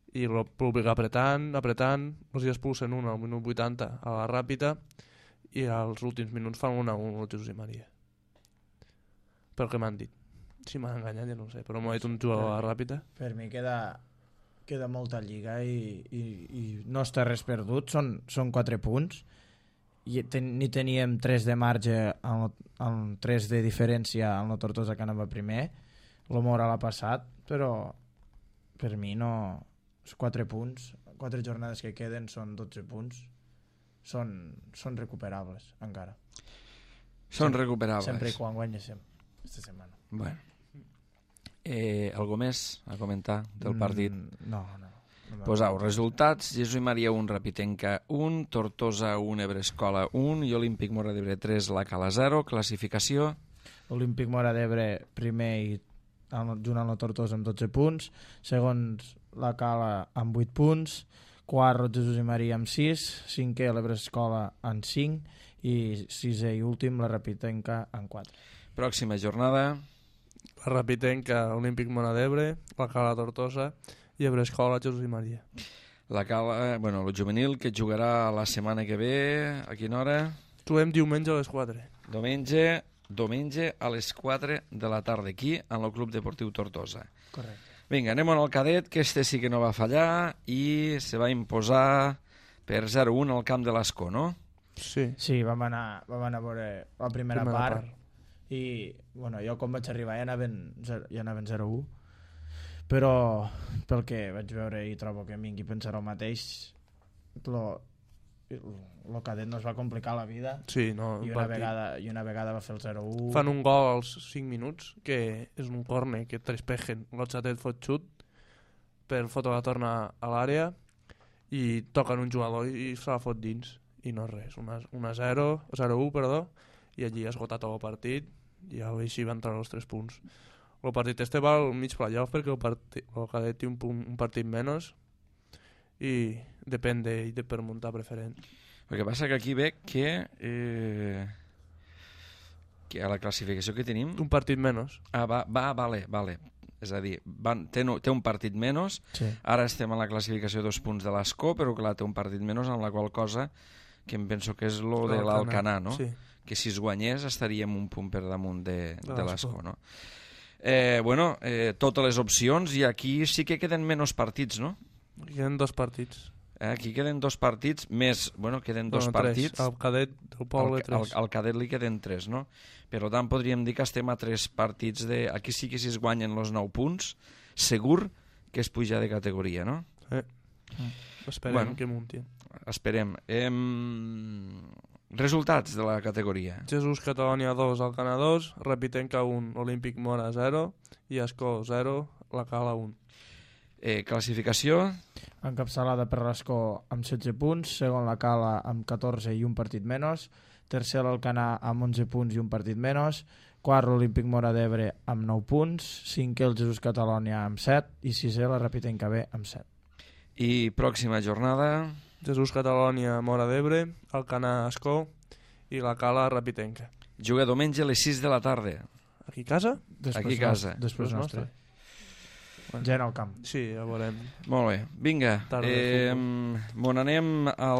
i el públic apretant, els hi expulsen un al minut 80 a la Ràpita i als últims minuts fan 1-1 el Jesús i Maria. Pel que m'han dit. Si m'han enganyat ja no ho sé, però m'ha dit un jugador a la Ràpita. Per mi queda molta lliga i no està res perdut, són 4 punts i ni teníem 3 de marge amb 3 de diferència amb la Tortosa que anava primer, el Mora l'ha passat, però per mi no... 4 punts, 4 jornades que queden són 12 punts, són recuperables encara. Són recuperables. Sempre i quan guanyéssim aquesta setmana. Bueno. Algo més a comentar del partit? No. Posau, resultats: Jesús i Maria 1, Rapitenca 1, Tortosa 1, Ebrescola 1 i Olímpic Mora d'Ebre 3, la Cala 0. Classificació: Olímpic Mora d'Ebre primer i junt amb la Tortosa amb 12 punts, segons la Cala amb 8 punts, quart Jesús i Maria amb 6, cinquè l'Ebrescola amb 5 i sisè i últim la Rapitenca amb 4. Pròxima jornada: la Rapitenca, Olímpic Mora d'Ebre, la Cala Tortosa i Ebrescola, Jesús i Maria. La Cala, bueno, el juvenil que jugarà la setmana que ve, a quina hora? Juguem diumenge a les 4. Diumenge a les 4 de la tarda aquí en el Club Deportiu Tortosa. Correcte. Vinga, anem al cadet, que este sí que no va fallar i se va imposar per 0-1 al camp de l'Escó, no? Sí, vam anar a veure la primera part i bueno, jo quan vaig arribar ja anaven 0-1, però pel que vaig veure i trobo que vingui a pensar el mateix, el cadet no es va complicar la vida. Sí, no, i una vegada va fer el 0-1. Fan un gol als 5 minuts, que és un córner que Trespejen, l'Otxatet fot xut per fotre la torna a l'àrea i toquen un jugador i se la fot dins i no res, 0-1 perdó, i allí ha esgotat el partit i així van entrar els 3 punts. El partit este va al mig playoff perquè el cadet té un partit menys i depèn d'ell per muntar preferent. El que passa que aquí veig que a la classificació que tenim... Un partit menys. Vale. És a dir, té un partit menys, sí. Ara estem a la classificació 2 punts de l'Escó, però clar, té un partit menys, amb la qual cosa que em penso que és lo de l'Alcanar, no? Sí. Que si es guanyés estaríem un punt per damunt de l'Escó, no? Totes les opcions, i aquí sí que queden menys partits, no? Queden 2 partits. Aquí queden 2 partits, més, queden 2 partits. Al cadet del poble 3. Al cadet li queden 3, no? Per tant, podríem dir que estem a 3 partits de... Aquí sí que si es guanyen els 9 punts, segur que es puja de categoria, no? Esperem que muntin. Esperem. Resultats de la categoria. Jesús Catalònia 2, Alcanar 2, Repitenca 1, Olímpic Mora 0 i Ascó 0, la Cala 1. Classificació. Encapçalada per l'Escó amb 16 punts, segon la Cala amb 14 i un partit menys, tercer l'Alcanar amb 11 punts i un partit menys, quart l'Olímpic Mora d'Ebre amb 9 punts, cinquè el Jesús Catalònia amb 7 i sisè la Repitenca B amb 7. I pròxima jornada. Jesús Catalònia Mora d'Ebre, Alcanar Ascó i la Cala Repitenca. Juga diumenge a les 6 de la tarda. Aquí a casa? Aquí a casa. Després nostre. Gent al camp. Sí, ja veurem. Molt bé, vinga. Tarda, Mon anem a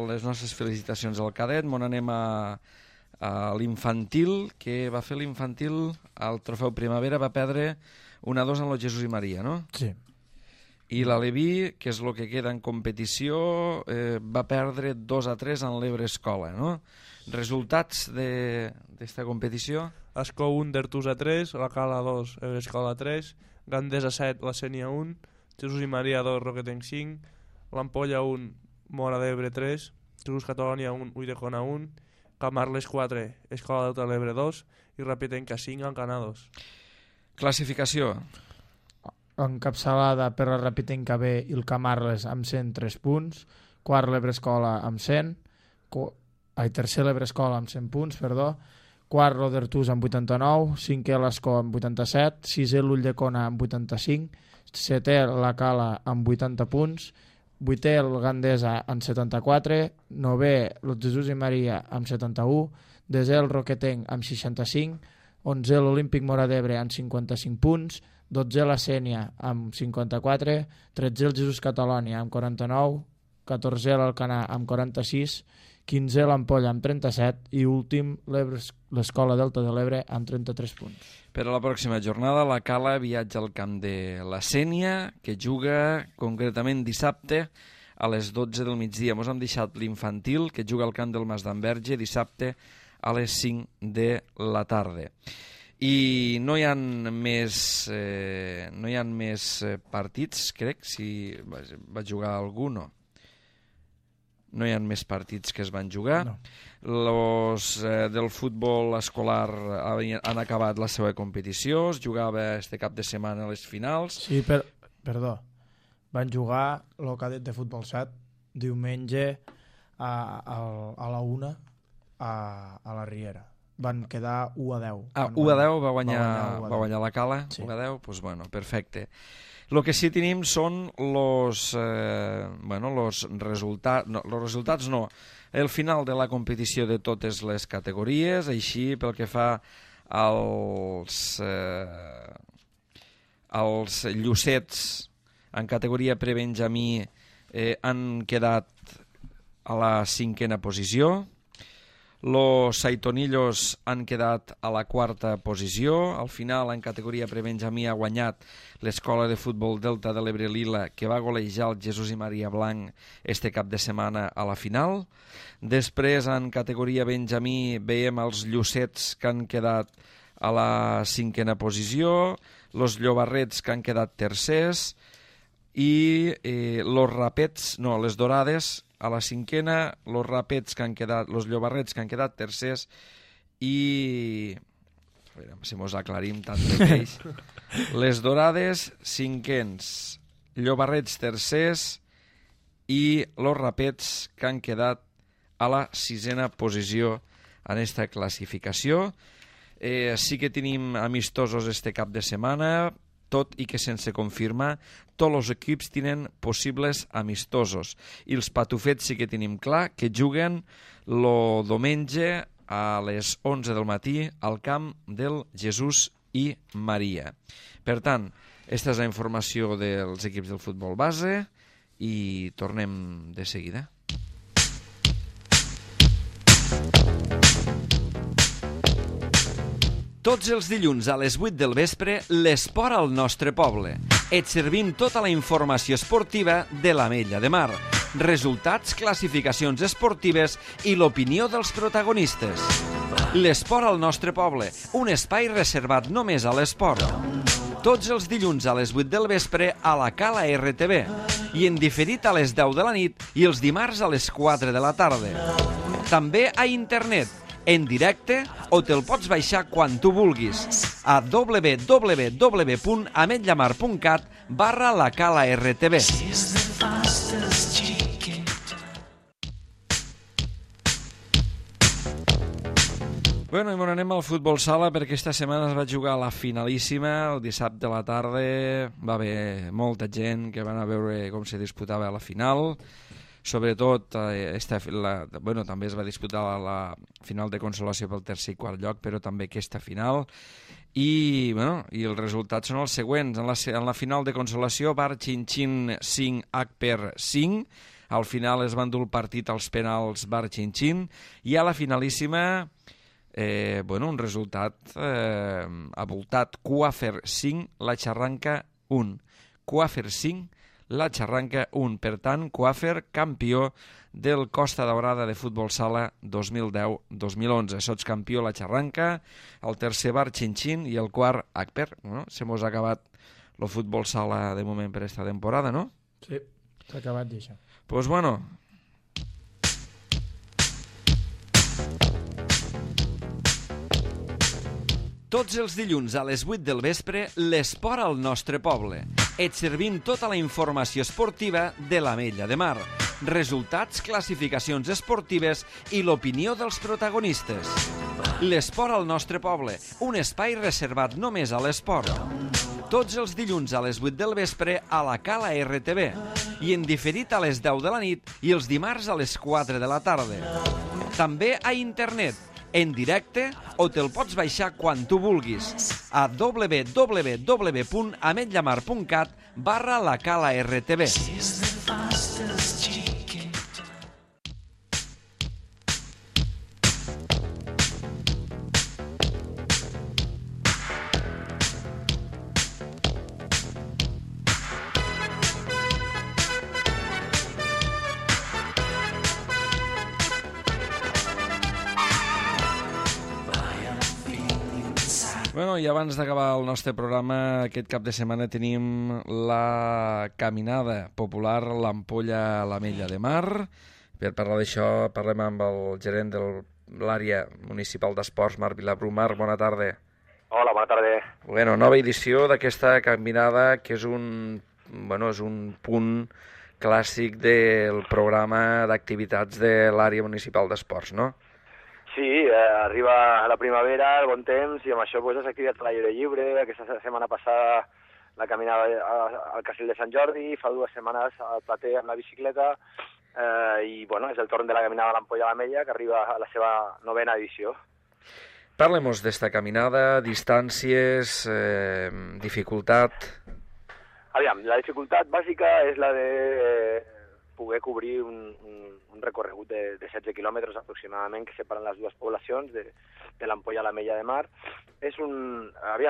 les nostres felicitacions al cadet, mon anem a l'infantil, que va fer l'infantil al Trofeu Primavera, va perdre 1-2 en el Jesús i Maria, no? Sí. I l'Aleví, que és el que queda en competició, va perdre 2-3 en l'Ebre Escola, no? Resultats d'esta competició? Ascó 1, Dertusa 3, la Cala 2, Ebre Escola 3, Gandesa 7, la Sénia 1, Jesús i Maria 2, Roquetenc 5, l'Ampolla 1, Mora d'Ebre 3, Jesús Catalònia 1, Ulldecona 1, Camarles 4, Escola Delta de l'Ebre 2 i Repitenca 5, Alcanar 2. Classificació. Encapçalada per la Repitenca B i el Camarles amb 103 punts, quart l'Ebre Escola amb 100, tercer l'Ebre Escola amb 100 punts, quart l'Odertús amb 89, cinquè l'Escó amb 87, sisè l'Ulldecona amb 85, setè la Cala amb 80 punts, vuitè el Gandesa amb 74, novè el Jesús i Maria amb 71, desè el Roquetenc amb 65, onzè l'Olímpic Mora d'Ebre amb 55 punts, 12è la Sénia amb 54, 13è el Jesús Catalònia amb 49, 14è l'Alcanar amb 46, 15è l'Ampolla amb 37 i últim l'Escola Delta de l'Ebre amb 33 punts. Per a la pròxima jornada, la Cala viatja al camp de la Sénia, que juga concretament dissabte a les 12 del migdia. Ens hem deixat l'infantil, que juga al camp del Mas d'Enverge, dissabte a les 5 de la tarda. I no hi ha més partits, crec, si va jugar algú, no. No hi ha més partits que es van jugar. No. Los del futbol escolar han acabat la seva competició, es jugava este cap de setmana a les finals. Sí, perdó. Van jugar el cadet de futbol 7 diumenge a la 1 a la Riera. Van quedar 1-10. 1-10 va guanyar la Cala? Sí. 1-10? Pues bueno, perfecte. El que sí tenim són los resultats, los resultats no, el final de la competició de totes les categories, així pel que fa als llucets en categoria prebenjamí han quedat a la 5a posició. Los Saitonillos han quedat a la 4a posició. Al final, en categoria prebenjamí, ha guanyat l'Escola de Futbol Delta de l'Ebre Lila, que va golejar el Jesús i Maria Blanc este cap de setmana a la final. Després, en categoria benjamí, veiem els Llucets, que han quedat a la 5a posició, los Llobarrets, que han quedat tercers, i les Dorades, a la 5a, los Rapets que han quedat, los Llobarrets que han quedat tercers i a veure si mos aclarim tant de peix. Les Dorades 5ens, Llobarrets tercers i los Rapets que han quedat a la 6a posició en esta classificació. Sí que tenim amistosos este cap de setmana, tot i que sense confirmar, tots els equips tenen possibles amistosos. I els patufets sí que tenim clar que juguen el diumenge a les 11 del matí al camp del Jesús i Maria. Per tant, aquesta és la informació dels equips del futbol base i tornem de seguida. Tots els dilluns a les 8 del vespre, l'esport al nostre poble. Et servim tota la informació esportiva de l'Ametlla de Mar, resultats, classificacions esportives i l'opinió dels protagonistes. L'esport al nostre poble, un espai reservat només a l'esport. Tots els dilluns a les 8 del vespre a la Cala RTV i en diferit a les 10 de la nit i els dimarts a les 4 de la tarda. També a internet, en directe o te'l pots baixar quan tu vulguis a www.ametllamar.cat/la Cala RTV. Bueno, i m'on anem al futbol sala perquè esta setmana es va jugar la finalíssima, el dissabte a la tarda. Va haver molta gent que van a veure com se disputava la final. Sobretot, també es va disputar la final de consolació pel tercer i quart lloc, però també aquesta final. I els resultats són els següents. En la final de consolació, Bar Chin-Chin 5, Akper 5. Al final es va endur el partit als penals Bar Chin-Chin. I a la finalíssima... un resultat avoltat. Coafer 5, la Xarranca 1. Coafer 5, la Xarranca 1. Per tant, Coafer campió del Costa Daurada de futbol sala 2010-2011. Sots campió la Xarranca, el tercer Bar Chin-Chin i el quart Akper. Se mos ha acabat el futbol sala de moment per esta temporada, no? Sí, s'ha acabat d'això. Pues bueno... Tots els dilluns a les 8 del vespre, l'esport al nostre poble. Et servim tota la informació esportiva de l'Ametlla de Mar. Resultats, classificacions esportives i l'opinió dels protagonistes. L'esport al nostre poble, un espai reservat només a l'esport. Tots els dilluns a les 8 del vespre a la Cala RTV i en diferit a les 10 de la nit i els dimarts a les 4 de la tarda. També a internet, en directe o te'l pots baixar quan tu vulguis a www.ametllamar.cat/la Cala RTV. Bueno, i abans d'acabar el nostre programa, aquest cap de setmana tenim la caminada popular l'Ampolla a l'Ametlla de Mar. Per parlar d'això parlem amb el gerent de l'àrea municipal d'esports, Marc Vilabrú. Marc, bona tarda. Hola, bona tarda. Bueno, nova edició d'aquesta caminada que és un punt clàssic del programa d'activitats de l'àrea municipal d'esports, no? Sí, arriba la primavera, el bon temps, i amb això pues, les activitats a l'aire lliure. Aquesta setmana passada la caminada al Castell de Sant Jordi, fa 2 setmanes al Plater amb la bicicleta, i és el torn de la caminada a l'Ampolla a l'Ametlla, que arriba a la seva 9ª edició. Parlem-nos d'esta caminada, distàncies, dificultat... Aviam, la dificultat bàsica és la de poder cobrir un recorregut de 16 quilòmetres aproximadament que separen les dues poblacions de l'Ampolla a l'Ametlla de Mar.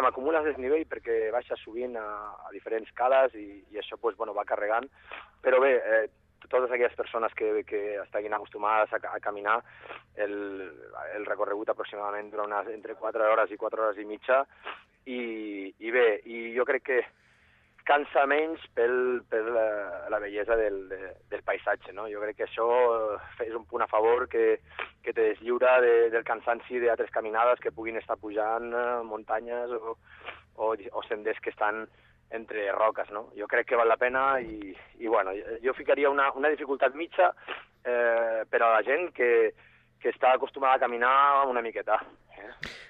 Acumules desnivell perquè baixes sovint a diferents cales i això va carregant, però bé, totes aquelles persones que estiguin acostumades a caminar, el recorregut aproximadament dura entre 4 hores i 4 hores i mitja, i bé, i jo crec que cansa menys per la bellesa del paisatge, no? Jo crec que això és un punt a favor que te deslliura del cansanci d'altres caminades que puguin estar pujant muntanyes o senders que estan entre roques, no? Jo crec que val la pena i jo ficaria una dificultat mitja per a la gent que està acostumada a caminar una miqueta.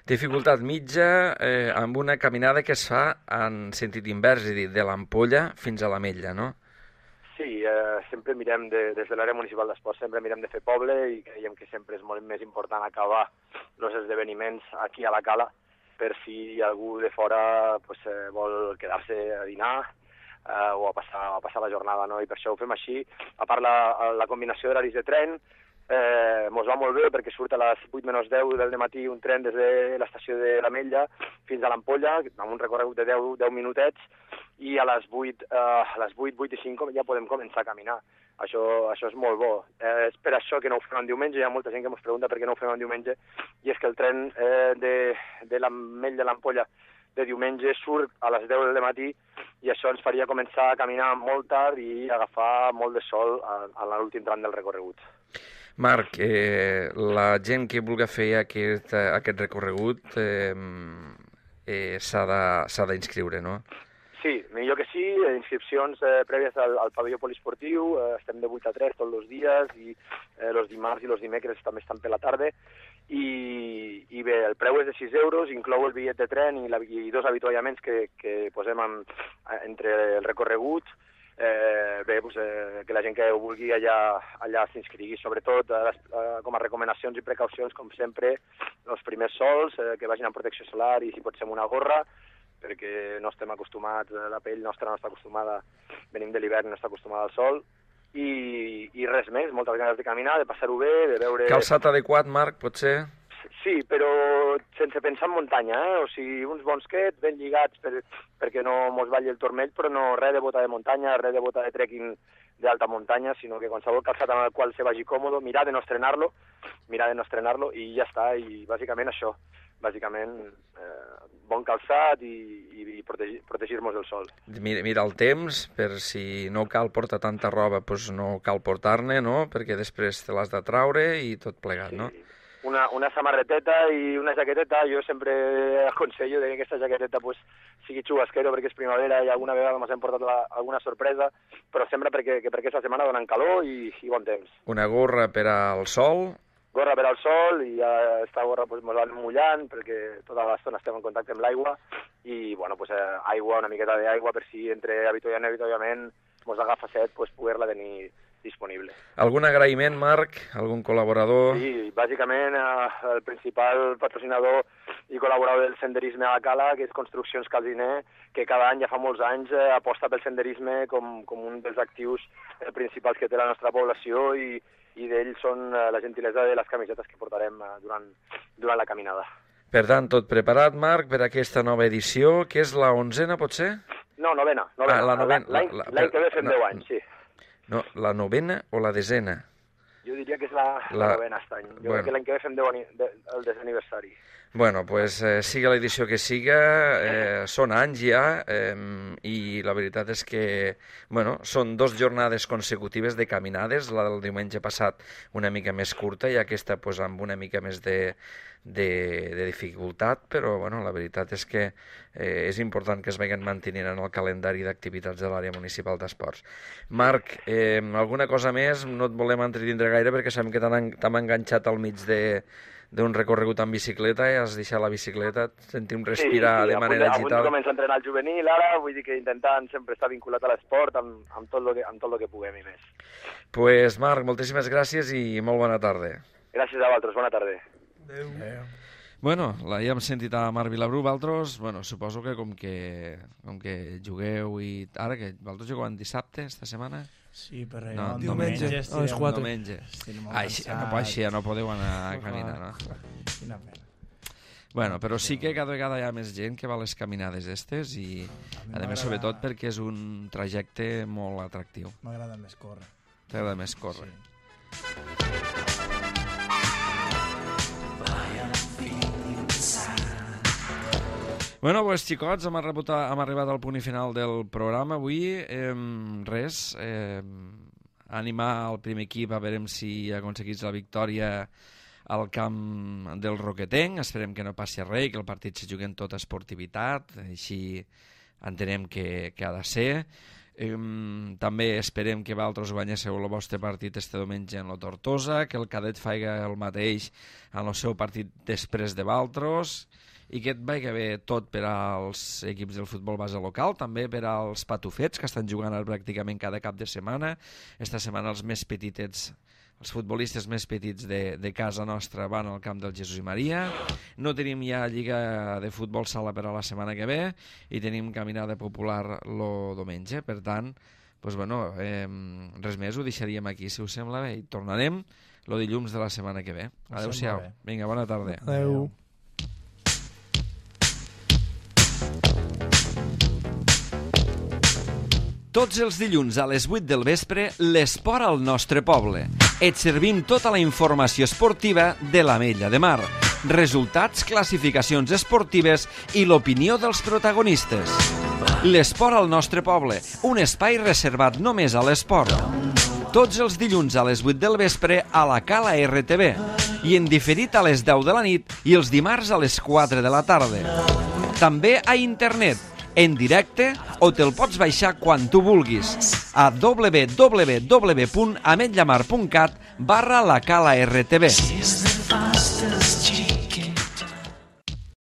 Dificultat mitja amb una caminada que es fa en sentit invers, és a dir, de l'Ampolla fins a l'Ametlla, no? Sí, sempre mirem, des de l'àrea municipal d'esports, sempre mirem de fer poble i creiem que sempre és molt més important acabar els esdeveniments aquí a la Cala per si algú de fora vol quedar-se a dinar o a passar la jornada, no? I per això ho fem així. A part, la combinació d'horaris de tren mos va molt bé perquè surt a les 8 menys 10 del matí un tren des de l'estació de l'Ametlla fins a l'Ampolla, amb un recorregut de 10 minutets, i a les 8 i 5 ja podem començar a caminar. Això és molt bo. És per això que no ho fem en diumenge. Hi ha molta gent que ens pregunta per què no ho fem en diumenge, i és que el tren de l'Ametlla a l'Ampolla de diumenge surt a les 10 del matí i això ens faria començar a caminar molt tard i agafar molt de sol a l'últim tram del recorregut. Marc, la gent que vulgui fer aquest recorregut s'ha d'inscriure, no? Sí, millor que sí, inscripcions prèvies al pavelló poliesportiu, estem de 8 a 3 tots els dies i els dimarts i els dimecres també estan per la tarda i bé, el preu és de 6 euros, inclou el bitllet de tren i 2 avituallaments que posem entre el recorregut. Que la gent que ho vulgui allà s'inscrigui, sobretot com a recomanacions i precaucions, com sempre, els primers sols, que vagin amb protecció solar i si pot ser amb una gorra, perquè no estem acostumats, la pell nostra no està acostumada, venim de l'hivern, no està acostumada al sol, i res més, moltes ganes de caminar, de passar-ho bé, de veure... Calçat adequat, Marc, potser? Sí, però sense pensar en muntanya, o sigui, uns bons quets ben lligats perquè no mos balli el turmell, però no res de bota de muntanya, res de bota de trekking d'alta muntanya, sinó que qualsevol calçat amb el qual se vagi còmodo, mirar de no estrenar-lo i ja està, i bàsicament això, bon calçat i protegir-nos del sol. Mira el temps, per si no cal portar tanta roba, doncs no cal portar-ne, no?, perquè després te l'has de traure i tot plegat, no? Una samarreteta i una jaqueteta, jo sempre aconsello que aquesta jaqueteta sigui xubasquero perquè és primavera i alguna vegada m'ha portat alguna sorpresa, però sempre perquè aquesta setmana donen calor i bon temps. Una gorra per al sol? Gorra per al sol i aquesta gorra ens va mullant perquè tota l'estona estem en contacte amb l'aigua i aigua, una miqueta d'aigua per si entre avituallant i avituallament ens agafa set, poder-la tenir disponible. Algun agraïment, Marc? Algun col·laborador? Sí, bàsicament el principal patrocinador i col·laborador del senderisme a la Cala, que és Construccions Calziner, que cada any, ja fa molts anys, aposta pel senderisme com un dels actius principals que té la nostra població i d'ells són la gentilesa de les camisetes que portarem durant la caminada. Per tant, tot preparat, Marc, per aquesta nova edició, que és la 11a, potser? No, novena. L'any que ve fem 10 anys, sí. No, la novena o la desena? Jo diria que és la novena aquest any. Jo crec que l'any que ve fem el 10è aniversari. Bueno, pues siga l'edició que siga, són anys ja, i la veritat és que, són 2 jornades consecutives de caminades, la del diumenge passat una mica més curta i aquesta amb una mica més de dificultat, però la veritat és que és important que es vagin mantenint en el calendari d'activitats de l'àrea municipal d'esports. Marc, alguna cosa més? No et volem entretindre gaire perquè sabem que t'hem enganxat al mig d'un recorregut amb bicicleta i has deixat la bicicleta, sentim respirar de manera agitada. Avui comença a entrenar el juvenil ara, vull dir que intentant sempre estar vinculat a l'esport amb tot el que puguem i més. Pues Marc, moltíssimes gràcies i molt bona tarda. Gràcies a vosaltres, bona tarda. Adéu. Bueno, ja hem sentit a Marc Vilabrú, vosaltres, suposo que com que jugueu i... Ara que vosaltres jugueu dissabte, esta setmana? Sí, però diumenge, a les 4. Diumenge. Així no podeu anar a caminar, no? Quina pena. Bueno, però sí que cada vegada hi ha més gent que va a les caminades estes i, a més, sobretot perquè és un trajecte molt atractiu. M'agrada més córrer. T'agrada més córrer. Sí. Bueno, pues, xicots, hem arribat al punt final del programa avui. Animar el primer equip a veure si aconseguís la victòria al camp del Roquetenc. Esperem que no passi res, que el partit se jugui en tota esportivitat, així entenem que ha de ser. També esperem que vosaltres guanyéssiu el vostre partit este diumenge en la Tortosa, que el Cadet faci el mateix en el seu partit després de vosaltres, i que et vagi bé tot per als equips del futbol base local, també per als patufets, que estan jugant pràcticament cada cap de setmana. Esta setmana els més petitets, els futbolistes més petits de casa nostra van al camp del Jesús i Maria. No tenim ja lliga de futbol sala per a la setmana que ve i tenim caminada popular el diumenge. Per tant, res més, ho deixaríem aquí, si us sembla bé, i tornarem el dilluns de la setmana que ve. Adéu-siau. Vinga, bona tarda. Adéu. Tots els dilluns a les 8 del vespre, l'esport al nostre poble. Et servim tota la informació esportiva de l'Ametlla de Mar. resultats, classificacions esportives i l'opinió dels protagonistes. L'esport al nostre poble, un espai reservat només a l'esport. Tots els dilluns a les 8 del vespre a la Cala RTV i en diferit a les 10 de la nit i els dimarts a les 4 de la tarda. També a internet, en directe, o te'l pots baixar quan tu vulguis a www.ametllamar.cat/la Cala RTV.